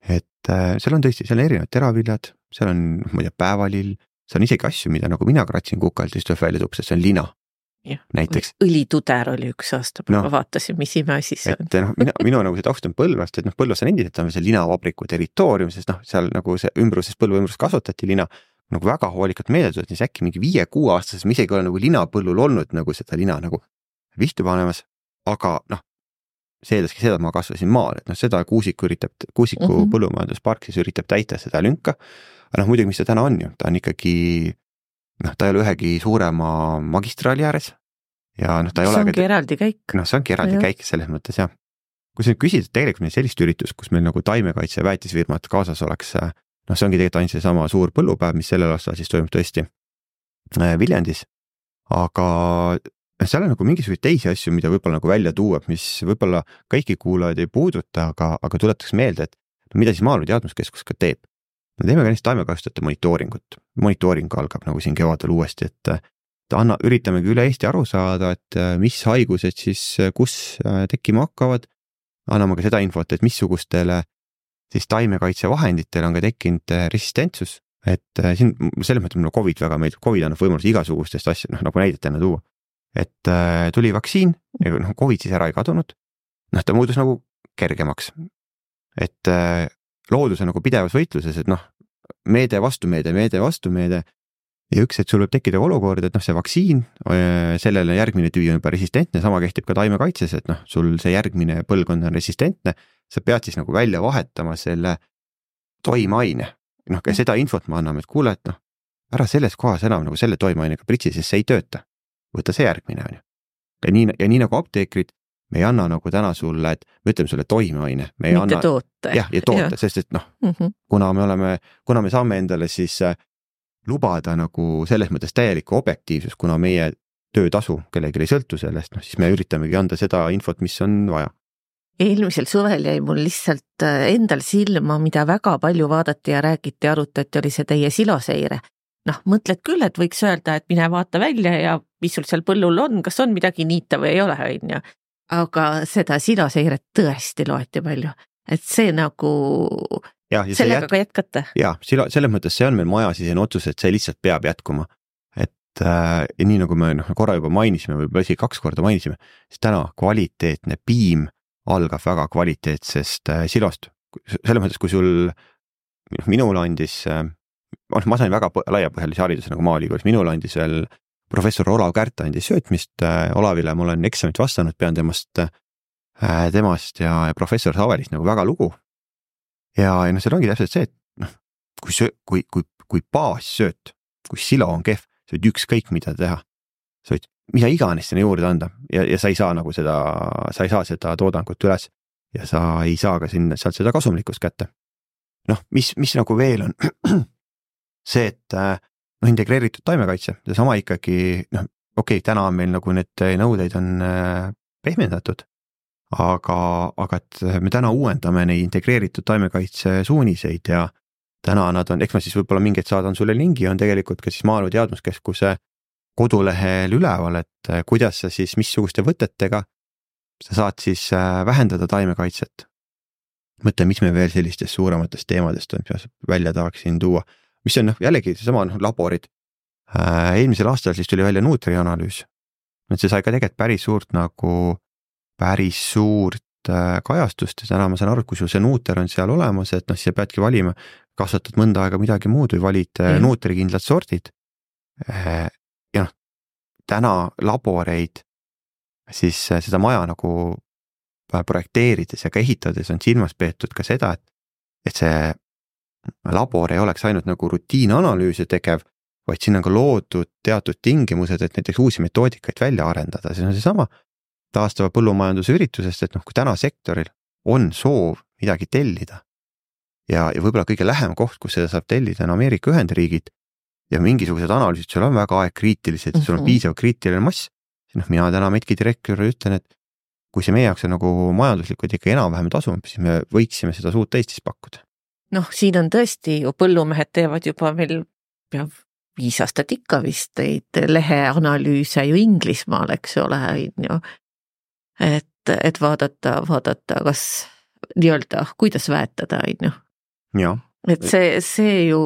S3: Et äh, seal on tõesti, seal on erinevad teraviljad, seal on, ma ei tea, päevalill, see on isegi asju, mida nagu mina kratsin kukalt, siis tuleb välja tupsest, see on lina.
S2: Ja.
S3: Näiteks.
S2: Õlituder oli üks aasta, no, ma vaatasin, mis imeasi see on.
S3: Et no, minu, minu nagu see taust on Põlvast, et noh, Põlvas on endiselt on see linavabriku territoorium, sest noh, seal nagu see ümbruses, Põlva ümbrus kasvatati lina, nagu väga hoolikalt meeldunud, siis äkki mingi viie-kuue aastases ma isegi olen nagu linapõllul olnud nagu seda lina nagu vihtu panemas, aga noh, see eeldaski seda, et ma kasvasin maal, et noh, seda Kuusiku üritab, Kuusiku mm -hmm. põllumajanduspark siis üritab täita seda lünka, aga noh, muidugi, mis ta täna on ju, ta on ikkagi noh, ta ei ole ühegi suurema magistraali ääres ja noh, ta ei
S2: see
S3: ole
S2: ongi eraldi käik.
S3: Noh, see ongi eraldi ja. käik selles mõttes, jah. Kui sa nüüd küsid, et tegelikult meil sellist üritust, kus meil nagu taimekaitse ja väetisfirmad kaasas oleks, noh, see ongi tegelikult ainult see sama suur põllupäev, mis sellel aastal siis toimub tõesti Viljandis, aga seal on nagu mingisuguseid teisi asju, mida võib-olla nagu välja tuua, mis võib-olla kõiki kuulajaid ei puuduta, aga, aga tuletaks meelde, et mida siis Maaelu Teadmuskeskus ka teeb. Me teeme ka neist taimekasutajate monitooringut. Monitooring algab nagu siin kevadel uuesti, et anna, üritamegi üle Eesti aru saada, et mis haigused siis kus tekkima hakkavad. Anname ka seda infot, et missugustele siis taimekaitsevahenditele on ka tekkinud resistentsus. Et siin selles mõttes mulle COVID väga meeldib. COVID annab võimalus igasugustest asja, noh, nagu näidetena tuua. Et tuli vaktsiin, noh, COVID siis ära ei kadunud. Noh, ta muutus nagu kergemaks. Et loodus on nagu pidevas võitluses, et noh, meede vastu meede, meede vastu meede ja üks, et sul võib tekkida olukord, et noh, see vaktsiin, sellele järgmine tüvi on juba resistentne, sama kehtib ka taimekaitses, et noh, sul see järgmine põlvkond on resistentne, sa pead siis nagu välja vahetama selle toimeaine. Noh, ka seda infot ma anname, et kuule, et noh, ära selles kohas enam nagu selle toimeainega pritsi, sest see ei tööta. Võta see järgmine, on ju. Ja nii, ja nii nagu apteekrid, me ei anna nagu täna sulle, et me ütleme sulle toimeaine. Me ei
S2: mitte
S3: anna,
S2: toote.
S3: Jah, ja toote, ja. Sest et noh, mm -hmm. kuna me oleme, kuna me saame endale siis lubada nagu selles mõttes täielikku objektiivsus, kuna meie töötasu kellelegi ei sõltu sellest, noh, siis me üritamegi anda seda infot, mis on vaja.
S2: Eelmisel suvel jäi mul lihtsalt endal silma, mida väga palju vaadati ja räägiti ja arutati, oli see teie siloseire. Noh, mõtled küll, et võiks öelda, et mine vaata välja ja mis sul seal põllul on, kas on midagi niita või ei ole, on ju. Aga seda siloseiret tõesti loeti palju, et see nagu ja, ja sellega jät... ka jätkata.
S3: Jaa, silo, selles mõttes see on meil maja sisene otsus, et see lihtsalt peab jätkuma. Et äh, ja nii nagu me noh, korra juba mainisime, võib-olla isegi kaks korda mainisime, siis täna kvaliteetne piim algab väga kvaliteetsest äh, silost. Selles mõttes, kui sul minul andis, äh, ma sain väga laiapõhjalise hariduse nagu Maaülikoolis, minul andis veel professor Olav Kärt andis söötmist Olavile, ma olen eksamit vastanud, pean temast, temast ja, ja professor Savelist nagu väga lugu. Ja, ja no seal ongi täpselt see, et noh, kui, söö, kui, kui, kui baassööt, kui silo on kehv, sa võid ükskõik mida teha. Sa võid mida iganes sinna juurde anda ja, ja sa ei saa nagu seda, sa ei saa seda toodangut üles ja sa ei saa ka sinna, sealt seda kasumlikkust kätte. Noh, mis, mis nagu veel on see, et noh, integreeritud taimekaitse, see sama ikkagi, noh, okei, okay, täna on meil nagu need nõudeid on pehmendatud, aga, aga et me täna uuendame neid integreeritud taimekaitse suuniseid ja täna nad on, eks ma siis võib-olla mingeid saadan sulle lingi, on tegelikult ka siis Maaelu Teadmuskeskuse kodulehel üleval, et kuidas sa siis, missuguste võtetega sa saad siis vähendada taimekaitset. Mõtle, mis me veel sellistest suurematest teemadest on, mis välja tahaksin tuua. Mis on jällegi seesama no, laborid. Eelmisel aastal siis tuli välja Nutri analüüs. See sai ka tegelikult päris suurt nagu, päris suurt kajastust ja täna ma saan aru, kui sul see Nuter on seal olemas, et noh, siis sa peadki valima, kasvatad mõnda aega midagi muud või valid mm. Nutri kindlad sordid. Ja noh, täna laboreid siis seda maja nagu projekteerides ja ka ehitades on silmas peetud ka seda, et, et see labor ei oleks ainult nagu rutiinanalüüse tegev, vaid siin on ka loodud teatud tingimused, et näiteks uusi metoodikaid välja arendada. See on seesama taastava põllumajanduse üritusest, et noh, kui täna sektoril on soov midagi tellida ja, ja võib-olla kõige lähem koht, kus seda saab tellida on Ameerika Ühendriigid ja mingisugused analüüsid, sul on väga aegkriitilised, mm-hmm. sul on piisav kriitiline mass, siis noh, mina täna Metki direktori ütlen, et kui see meie jaoks on nagu majanduslikult ikka enam-vähem tasum, siis me võiksime seda suurt Eestis pakkuda.
S2: Noh, siin on tõesti ju põllumehed teevad juba meil peab viis aastat ikka vist neid leheanalüüse ju Inglismaal, eks ole, ju. Et, et vaadata, vaadata, kas nii-öelda, kuidas väetada, ju.
S3: Ja.
S2: Et see, see ju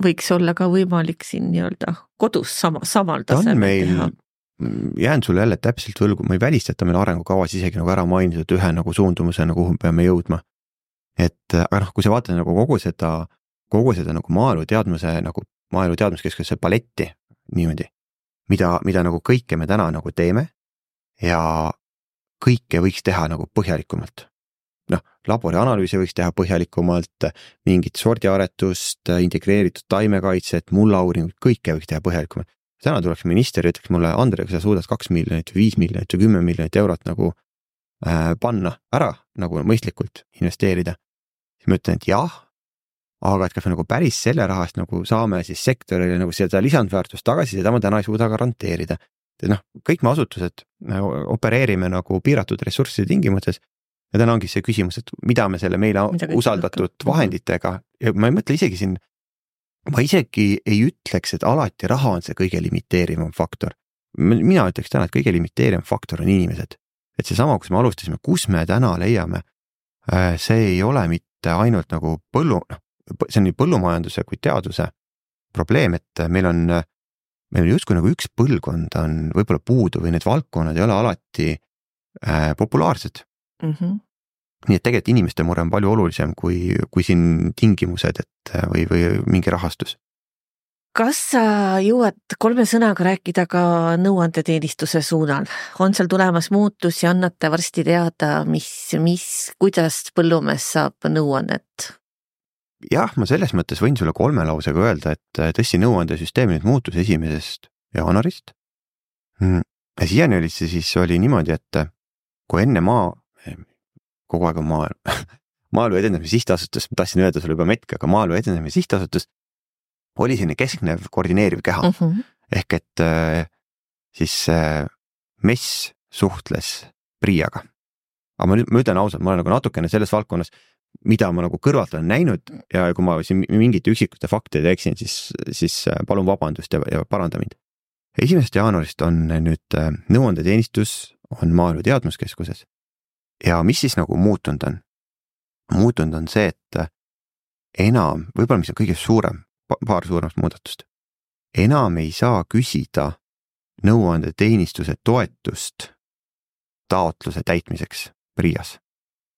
S2: võiks olla ka võimalik siin nii-öelda kodus sama, samal tasemel
S3: meil,
S2: teha.
S3: Jään sulle jälle täpselt võlgu, ma ei välista, et meil arengukavas isegi nagu ära mainitud ühe nagu suundumusena, kuhu me peame jõudma. Et aga noh, kui sa vaatad nagu kogu seda, kogu seda nagu maaelu teadmuse, nagu maaelu teadmuskeskuse paletti niimoodi, mida, mida nagu kõike me täna nagu teeme ja kõike võiks teha nagu põhjalikumalt. Noh, laborianalüüsi võiks teha põhjalikumalt, mingit sordiaretust, integreeritud taimekaitset, mullauuringut, kõike võiks teha põhjalikumalt. Täna tuleks minister ja ütleks mulle, Andre, kui sa suudad kaks miljonit, viis miljonit ja kümme miljonit eurot nagu äh, panna ära, nagu mõistlikult investeerida. Siis ma ütlen, et jah, aga et kas me nagu päris selle rahast nagu saame siis sektorile nagu seda lisandväärtust tagasi, seda ma täna ei suuda garanteerida. Noh, kõik me asutused opereerime nagu piiratud ressursside tingimustes ja täna ongi see küsimus, et mida me selle meile mida usaldatud vahenditega, ja ma ei mõtle isegi siin, ma isegi ei ütleks, et alati raha on see kõige limiteerivam faktor. Mina ütleks täna, et kõige limiteerivam faktor on inimesed. Et see sama, kus me alustasime, kus me täna leiame, see ei ole mitte ainult nagu põllu, see on nii põllumajanduse kui teaduse probleem, et meil on, meil on justkui nagu üks põlvkond on võib-olla puudu või need valdkonnad ei ole alati äh, populaarsed. Mm-hmm. Nii et tegelikult inimeste mure on palju olulisem kui, kui siin tingimused et, või, või mingi rahastus.
S2: Kas sa jõuad kolme sõnaga rääkida ka nõuandeteenistuse suunal? On seal tulemas muutus ja annate varsti teada, mis, mis, kuidas põllumees saab nõuannet?
S3: Jah, ma selles mõttes võin sulle kolme lausega öelda, et tõesti nõuandesüsteemi nüüd muutus esimesest jaanuarist. Ja siiani oli see siis oli niimoodi, et kui enne maa kogu aeg on maaelu, maaelu edendamise sihtasutus, ma tahtsin öelda sulle juba metki, aga maaelu edendamise sihtasutus oli selline kesknev koordineeriv keha. Uh -huh. Ehk et äh, siis äh, M E S suhtles Priiaga. Aga ma, nüüd, ma ütlen ausalt, ma olen nagu natukene selles valdkonnas, mida ma nagu kõrvalt olen näinud ja kui ma siin mingite üksikute faktide eksin, siis, siis palun vabandust ja, ja paranda mind. Esimesest jaanuarist on nüüd äh, nõuandeteenistus on maaelu teadmuskeskuses. Ja mis siis nagu muutunud on? Muutunud on see, et enam, võib-olla mis on kõige suurem, paar suuremast muudatust, enam ei saa küsida nõuandeteenistuse toetust taotluse täitmiseks Priias.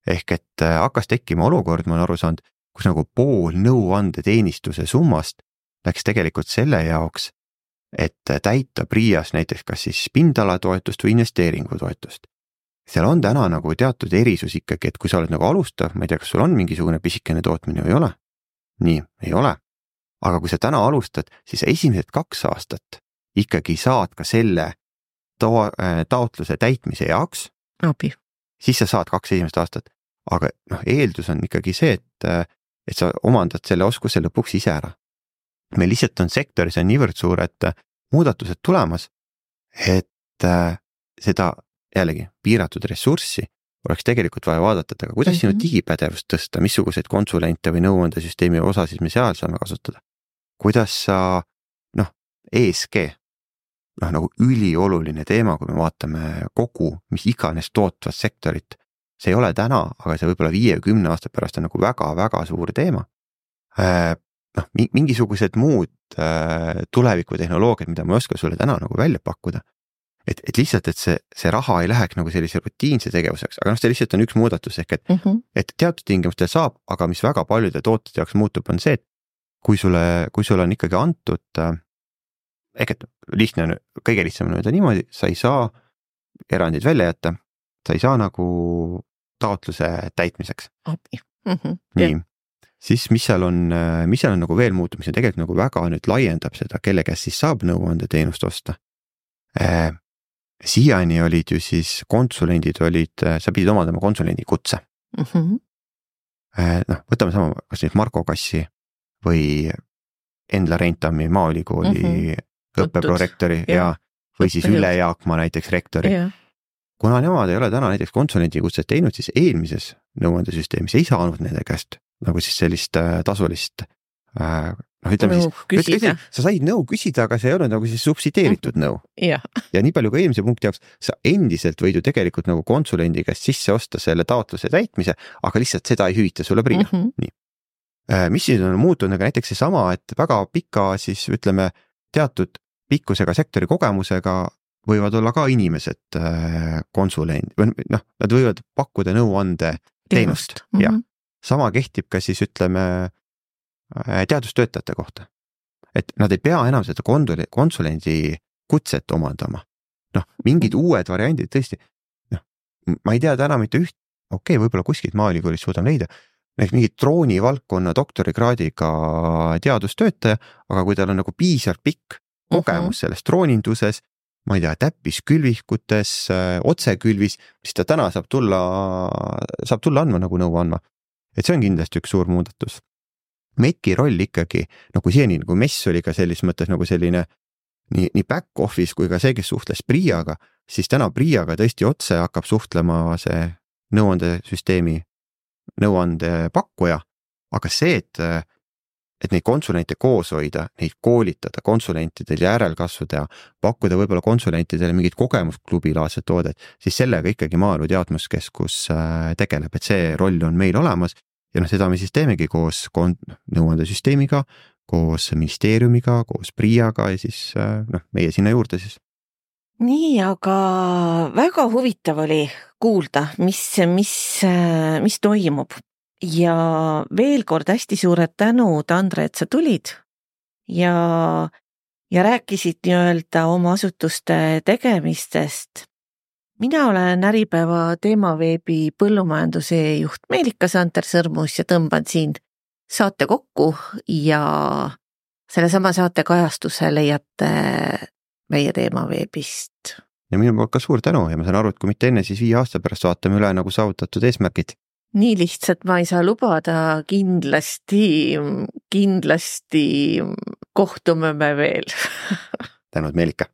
S3: Ehk et hakkas tekkima olukord, ma olen aru saanud, kus nagu pool nõuandeteenistuse summast läks tegelikult selle jaoks, et täita Priias näiteks kas siis pindalatoetust või investeeringutoetust. Seal on täna nagu teatud erisus ikkagi, et kui sa oled nagu alustav, ma ei tea, kas sul on mingisugune pisikene tootmine või ei ole. Nii, ei ole. Aga kui sa täna alustad, siis esimesed kaks aastat ikkagi saad ka selle ta- taotluse täitmise jaoks.
S2: Abi.
S3: Siis sa saad kaks esimest aastat. Aga noh, eeldus on ikkagi see, et, et sa omandad selle oskuse lõpuks ise ära. Meil lihtsalt on sektoris on niivõrd suur, et muudatused tulemas, et seda jällegi piiratud ressurssi oleks tegelikult vaja vaadata, aga kuidas mm-hmm. sinu digipädevust tõsta, missuguseid konsulente või nõuandesüsteemi osa siis me seal saame kasutada. Kuidas sa, noh, E S G, noh, nagu ülioluline teema, kui me vaatame kogu, mis iganes tootvat sektorit, see ei ole täna, aga see võib-olla viie või kümne aasta pärast on nagu väga-väga suur teema. Noh, mingisugused muud tulevikutehnoloogiad, mida ma ei oska sulle täna nagu välja pakkuda. Et, et lihtsalt, et see, see raha ei läheks nagu sellise rutiinse tegevuseks, aga noh, see lihtsalt on üks muudatus, ehk et, mm-hmm. et teatud tingimustel saab, aga mis väga paljude tootjate jaoks muutub, on see, et kui sulle, kui sulle on ikkagi antud, ehk et lihtne on, kõige lihtsam on öelda niimoodi, sa ei saa erandid välja jätta, sa ei saa nagu taotluse täitmiseks. Mm-hmm. Nii, yeah. Siis mis seal on, mis seal on nagu veel muutum, mis on tegelikult nagu väga nüüd laiendab seda, kelle käest siis saab nõuandeteenust osta. Äh, Siiani olid ju siis konsulendid olid, sa pidid omandama konsulendi kutse. Mm-hmm. Noh, võtame sama, kas nüüd Marko Kassi või Endla Reintami Maaülikooli mm-hmm. õppeprorektori ja, või siis Üle Jaakma näiteks rektori. Yeah. Kuna nemad ei ole täna näiteks konsulendi kutset teinud, siis eelmises nõuandesüsteemis ei saanud nende käest nagu siis sellist tasulist äh, noh, ütleme nõu siis, ütleme, sa said nõu küsida, aga see ei olnud nagu siis subsideeritud nõu. Ja. ja nii palju ka eelmise punkti jaoks, sa endiselt võid ju tegelikult nagu konsulendi käest sisse osta selle taotluse täitmise, aga lihtsalt seda ei hüvita sulle Priia. Mm-hmm. Nii. mis siis on muutunud, aga näiteks seesama, et väga pika siis ütleme teatud pikkusega sektori kogemusega võivad olla ka inimesed konsulent või noh, nad võivad pakkuda nõuande teenust mm -hmm. ja sama kehtib ka siis ütleme teadustöötajate kohta. Et nad ei pea enam seda konsulendi kutset omandama. Noh, mingid uued variandid tõesti, noh, ma ei tea täna mitte üht, okei okay,, võib-olla kuskilt maaülikoolist suudame leida, mingid droonivaldkonna doktorikraadiga teadustöötaja, aga kui tal on nagu piisavalt pikk kogemus uh -huh. selles drooninduses, ma ei tea, täppiskülvikutes, otsekülvis, siis ta täna saab tulla, saab tulla andma nagu nõu andma. Et see on kindlasti üks suur muudatus. Metki roll ikkagi, nagu siiani, nagu mess oli ka sellis mõttes nagu selline nii, nii back office kui ka see, kes suhtles Priaga, siis täna Priaga tõesti otse hakkab suhtlema see nõuandesüsteemi nõuande pakkuja, aga see, et, et neid konsulente koos hoida, neid koolitada, konsulentidel järelkasvu teha, pakkuda võib-olla konsulentidele mingid kogemusklubilaadsed toodet, siis sellega ikkagi Maaelu Teadmuskeskus tegeleb, et see roll on meil olemas ja noh, seda me siis teemegi koos nõuandesüsteemiga, koos ministeeriumiga, koos Priaga ja siis noh, meie sinna juurde siis.
S2: Nii, aga väga huvitav oli kuulda, mis, mis, mis toimub. Ja veel kord hästi suured tänud, Andre, et sa tulid ja, ja rääkisid nii-öelda oma asutuste tegemistest. Mina olen Äripäeva Teemaveebi põllumajanduse juht Meelika Santer-Sõrmus ja tõmban siin saate kokku ja selle sama saate kajastuse leiate meie Teemaveebist.
S3: Ja minu poolt ka suur tänu ja ma saan aru, et kui mitte enne, siis viie aasta pärast vaatame üle nagu saavutatud eesmärgid.
S2: Nii lihtsalt ma ei saa lubada, kindlasti, kindlasti kohtume me veel.
S3: Tänud, Meelika.